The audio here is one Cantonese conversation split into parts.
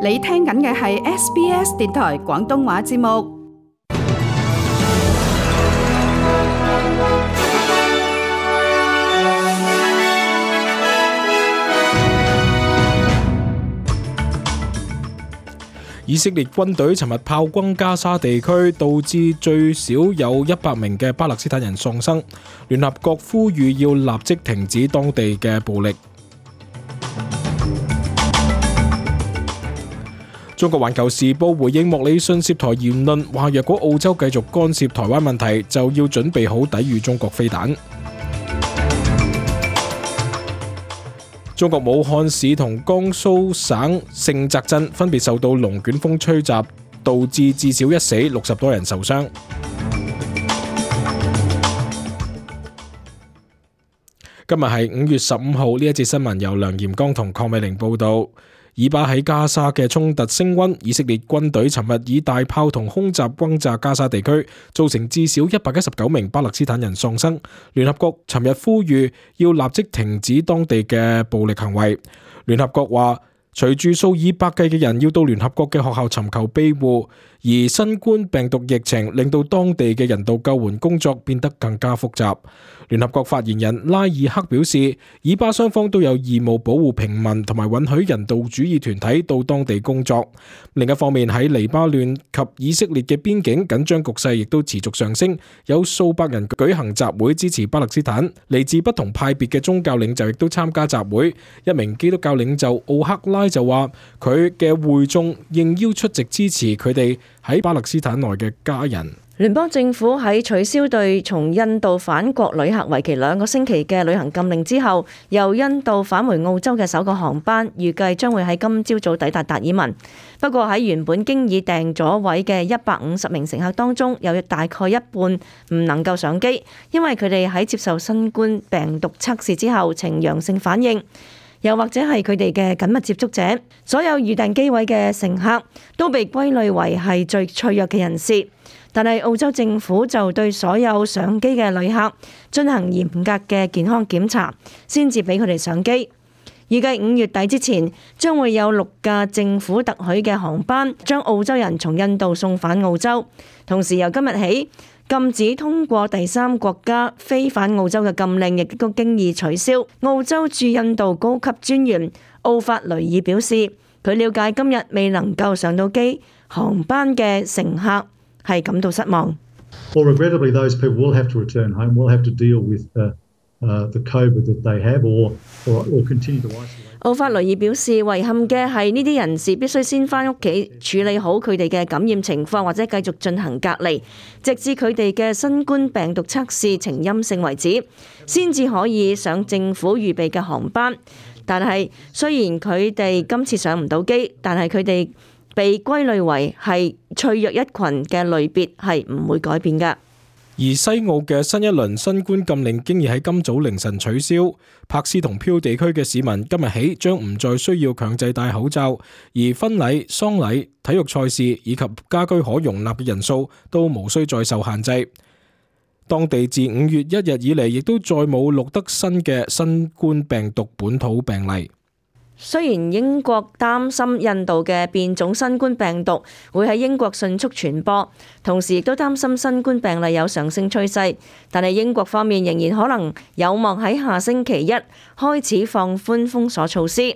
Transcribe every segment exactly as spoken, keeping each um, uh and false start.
你聽緊嘅係 S B S 電台廣東話節目。以色列軍隊尋日炮轟加沙地區，導致最少有一百名嘅巴勒斯坦人喪生。聯合國呼籲要立即停止當地嘅暴力。中國環球時報回應莫里遜涉台言論，話若果澳洲繼續干涉台灣問題，就要準備好抵禦中國飛彈。中國武漢市同江蘇省盛澤鎮分別受到龍捲風吹襲，導致至少一死，六十多人受傷。今日係五月十五號，呢一節新聞由梁炎剛同鄺美玲報道。以巴喺加沙嘅衝突升溫，以色列軍隊尋日以大炮同空襲轟炸加沙地區，造成至少一百一十九名巴勒斯坦人喪生。聯合國尋日呼籲要立即停止當地嘅暴力行為。聯合國話，隨住數以百計嘅人要到聯合國嘅學校尋求庇護，而新冠病毒疫情令到當地嘅人道救援工作變得更加複雜。聯合國發言人拉爾克表示，以巴雙方都有義務保護平民同埋允許人道主義團體到當地工作。另一方面，喺黎巴嫩及以色列嘅邊境緊張局勢亦都持續上升，有數百人舉行集會支持巴勒斯坦。嚟自不同派別嘅宗教領袖亦都參加集會。一名基督教領袖奧克拉就話，佢嘅會眾應邀出席支持佢哋喺巴勒斯坦內嘅家人。聯邦政府喺取消對從印度返國旅客為期兩個星期嘅旅行禁令之後，由印度返回澳洲嘅首個航班預計將會喺今朝早抵達達爾文。不過喺原本經已訂咗位嘅一百五十名乘客當中，有大概一半唔能夠上機，因為佢哋喺接受新冠病毒測試之後呈陽性反應，又或者係佢哋嘅緊密接觸者。所有預訂機位嘅乘客都被歸類為係最脆弱嘅人士。但係澳洲政府就對所有上機嘅旅客進行嚴格嘅健康檢查，先至俾佢哋上機。預計五月底之前，將會有六架政府特許嘅航班將澳洲人從印度送返澳洲。同時由今日起，禁止通過第三國家飛返澳洲嘅禁令亦都經已取消。澳洲駐印度高級專員奧法雷爾表示，佢了解今日未能夠上到機航班嘅乘客係感到失望。Well, regrettably, those people will have to return home. Will have to deal with the, uh, the COVID that they have, or or, or continue to isolate. 奧法雷爾表示，遺憾嘅係呢啲人士必須先返屋企處理好佢哋嘅感染情況，或者繼續進行隔離，直至佢哋嘅新冠病毒測試呈陰性為止，先至可以上政府預備嘅航班。但係雖然佢哋今次上唔到機，但係佢哋被歸類為係脆弱一群嘅類別係唔會改變㗎。而西澳嘅新一輪新冠禁令經已喺今早凌晨取消，柏斯同漂地區嘅市民今日起將唔再需要強制戴口罩，而婚禮、喪禮、體育賽事以及家居可容納嘅人數都無需再受限制。當地自五月一日以嚟亦都再冇錄得新嘅新冠病毒本土病例。雖然英國擔心印度嘅變種新冠病毒會喺英國迅速傳播，同時亦都擔心新冠病例有上升趨勢，但係英國方面仍然可能有望喺下星期一開始放寬封鎖措施。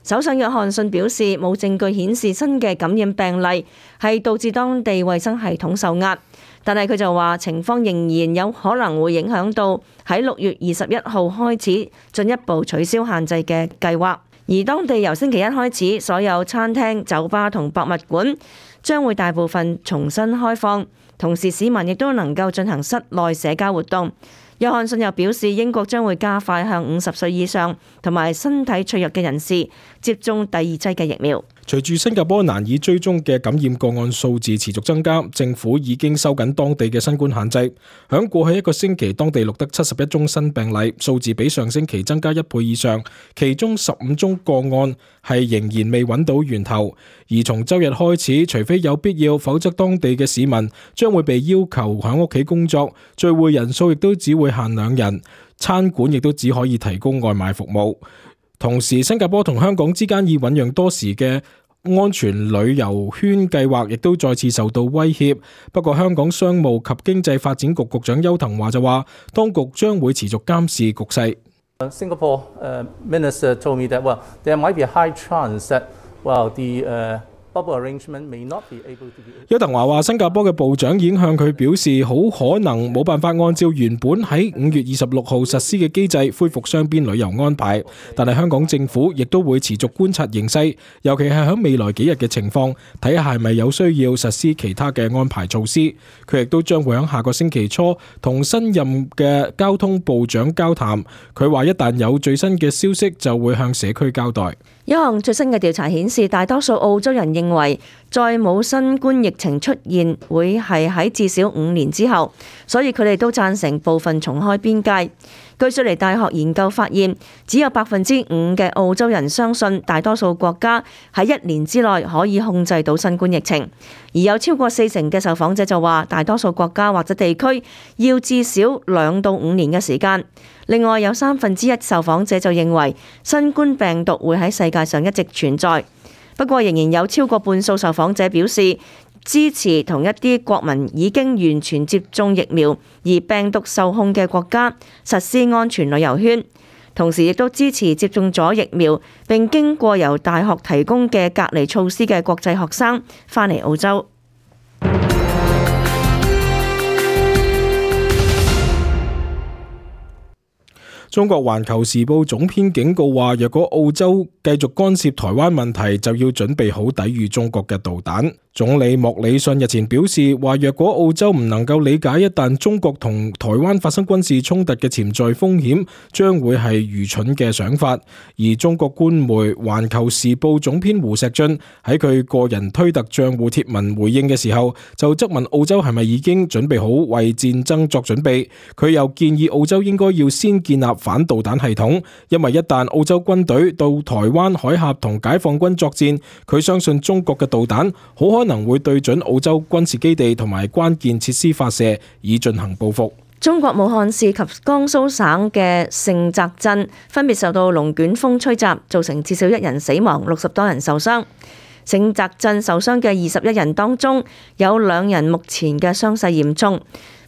首相約翰遜表示，冇證據顯示新嘅感染病例係導致當地衛生系統受壓，但係佢就話情況仍然有可能會影響到喺六月二十一號開始進一步取消限制嘅計劃。而當地由星期一開始，所有餐廳、酒吧同博物館將會大部分重新開放，同時市民亦都能夠進行室內社交活動。約翰遜又表示，英國將會加快向五十歲以上同埋身體脆弱嘅人士接種第二劑嘅疫苗。隨住新加坡難以追蹤嘅感染個案數字持續增加，政府已經收緊當地嘅新冠限制。響過去一個星期，當地錄得七十一宗新病例，數字比上星期增加一倍以上。其中十五宗個案係仍然未揾到源頭。而從周日開始，除非有必要，否則當地嘅市民將會被要求響屋企工作，聚會人數亦都只會限兩人，餐館亦都只可以提供外賣服務。同時，新加坡同香港之間已醞釀多時嘅安全旅遊圈計劃亦都再次受到威脅。不過香港商務及經濟發展局局長邱騰華就話，當局將會持續監視局勢。Singapore uh, minister told me that well, there might be a high chance that well the uh, bubble arrangement may not be able to be. 邱騰華話，新加坡嘅部長已經向佢表示，好可能冇辦法按照原本喺五月二十六號實施嘅機制恢復雙邊旅遊安排。但係香港政府亦都會持續觀察形勢，尤其係喺未來幾日嘅情況，睇下係咪有需要實施其他嘅安排措施。佢亦都將會喺下個星期初同新任嘅交通部長交談。佢話一旦有最新嘅消息，就會向社區交代。一項最新嘅調查顯示，大多數澳洲人認為再冇新冠疫情出現會係喺至少五年之後，所以佢哋都贊成部分重開邊界。據雪梨大學研究發現，只有百分之五嘅澳洲人相信大多數國家喺一年之內可以控制到新冠疫情，而有超過四成嘅受訪者就話大多數國家或者地區要至少兩到五年嘅時間。另外有三分之一受訪者就認為新冠病毒會喺世界上一直存在，不過仍然有超過半數受訪者表示支持同一啲國民已經完全接種疫苗而病毒受控嘅國家實施安全旅遊圈，同時亦都支持接種咗疫苗並經過由大學提供嘅隔離措施嘅國際學生返嚟澳洲。中國環球時報總編警告話，若果澳洲繼續干涉台灣問題，就要準備好抵禦中國嘅導彈。總理莫里遜日前表示話，若果澳洲唔能夠理解一旦中國同台灣發生軍事衝突嘅潛在風險，將會係愚蠢嘅想法。而中國官媒環球時報總編胡錫進喺佢個人推特賬戶貼文回應嘅時候，就質問澳洲係咪已經準備好為戰爭作準備。佢又建議澳洲應該要先建立反導彈系統，因為一旦澳洲軍隊到台灣海峽同解放軍作戰，佢相信中國嘅導彈好可能會對準澳洲軍事基地同埋關鍵設施發射，以進行報復。中國武漢市及江蘇省嘅盛澤鎮分別受到龍捲風吹襲，造成至少一人死亡，六十多人受傷。盛澤鎮受傷嘅二十一人當中，有兩人目前嘅傷勢嚴重。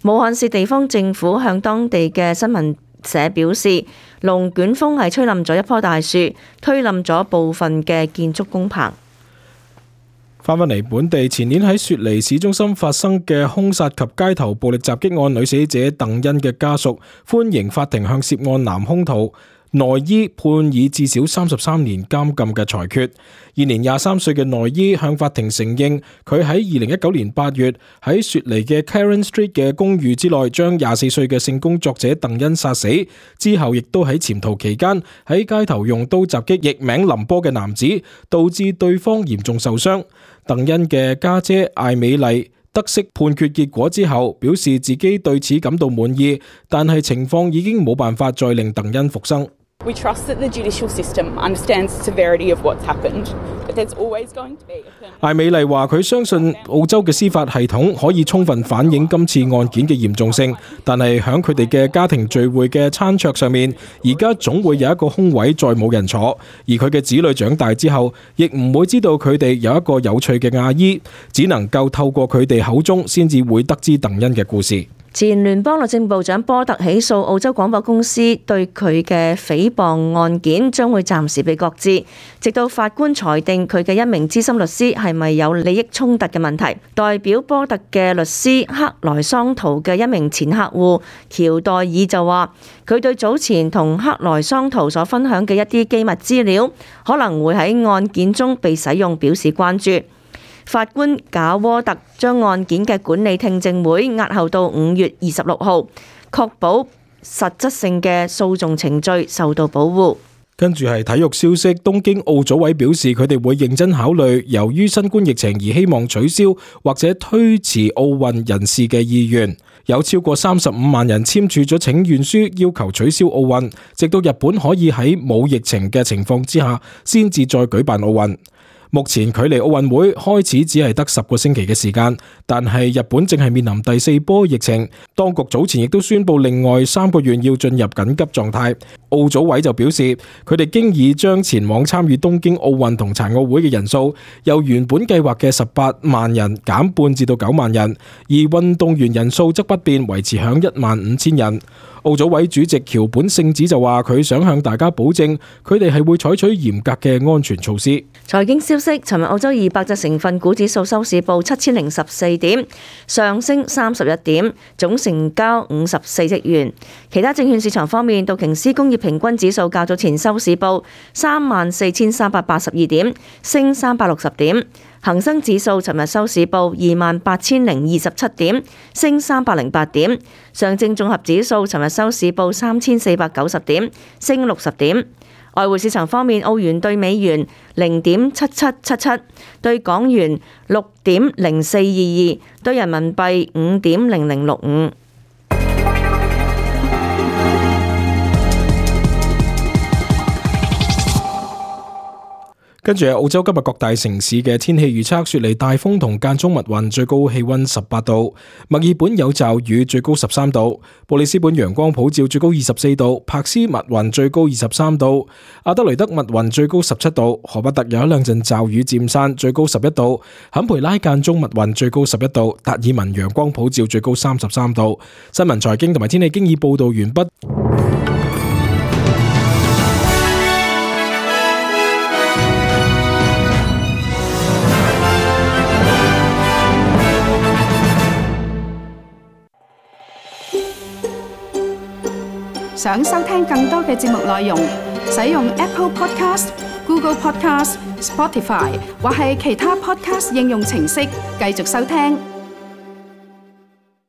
武漢市地方政府向當地嘅新聞社表示，龍捲風係吹冧咗一棵大樹，推冧咗部分嘅建築工棚。翻返嚟本地，前年喺雪梨市中心發生嘅兇殺及街頭暴力襲擊案，女死者鄧欣嘅家屬歡迎法庭向涉案男兇徒內伊判以至少三十三年監禁嘅裁決。現年廿三歲嘅內伊向法庭承認，佢喺二零一九年八月喺雪梨嘅 Karen Street 嘅公寓之內將廿四歲嘅性工作者鄧欣殺死，之後亦都喺潛逃期間喺街頭用刀襲擊譯名林波嘅男子，導致對方嚴重受傷。鄧欣嘅家姐艾美麗得悉判決結果之後，表示自己對此感到滿意，但係情況已經冇辦法再令鄧欣復生。We trust that the judicial system understands the severity of what's happened, but there's always going to be a permanent... 艾美麗話佢相信澳洲嘅司法系統可以充分反映今次案件嘅嚴重性，但係響佢哋嘅家庭聚會嘅餐桌上面，而家總會有一個空位再冇人坐，而佢嘅子女長大之後，亦唔會知道佢哋有一個有趣嘅阿姨，只能夠透過佢哋口中先至會得知鄧欣嘅故事。前聯邦律政部長波特起訴澳洲廣播公司對佢嘅誹謗案件，將會暫時被擱置，直到法官裁定佢嘅一名資深律師係咪有利益衝突嘅問題。代表波特嘅律師克萊桑圖嘅一名前客戶喬代爾就話，佢對早前同克萊桑圖所分享嘅一啲機密資料可能會喺案件中被使用表示關注。法官賈沃特將案件嘅管理聽證會押後到五月二十六號，確保實質性嘅訴訟程序受到保護。跟住係體育消息，東京奧組委表示佢哋會認真考慮由於新冠疫情而希望取消或者推遲奧運人士嘅意願。有超過三十五萬人簽署咗請願書，要求取消奧運，直到日本可以喺冇疫情嘅情況之下先至再舉辦奧運。目前距離奧運會開始只係得十個星期嘅時間，但係日本正係面臨第四波疫情，當局早前亦都宣布另外三個月要進入緊急狀態。奧組委就表示，佢哋經已將前往參與東京奧運同殘奧會嘅人數由原本計劃嘅十八萬人減半至到九萬人，而運動員人數則不變，維持響一萬五千人。奧組委主席橋本聖子就話，佢想向大家保證，佢哋係會採取嚴格嘅安全措施。財經消息，尋日澳洲二百隻成分股指數收市報七千零十四點，上升三十一點，總成交五十四億元。其他證券市場方面，道瓊斯工業平均指數較早前收市報三萬四千三百八十二點，升三百六十點。恒生指數尋日收市報二萬八千零二十七點，升三百零八點。上證綜合指數尋日收市報三千四百九十點，升六十點。外匯市場方面，澳元對美元零點七七七七，對港元六點零四二二，對人民幣五點零零六五。跟住係澳洲今日各大城市嘅天氣預測：雪梨大風同間中密雲，最高氣溫十八度；墨爾本有驟雨，最高十三度；布里斯本陽光普照，最高二十四度；柏斯密雲，最高二十三度；阿德雷德密雲，最高十七度；荷伯特有一兩陣驟雨漸散，最高十一度；坎培拉間中密雲，最高十一度；達爾文陽光普照，最高三十三度。新聞財經同埋天氣經已報道完畢。想收聽更多嘅節目內容，使用 Apple Podcast、Google Podcast、Spotify 或係其他 Podcast 應用程式繼續收聽。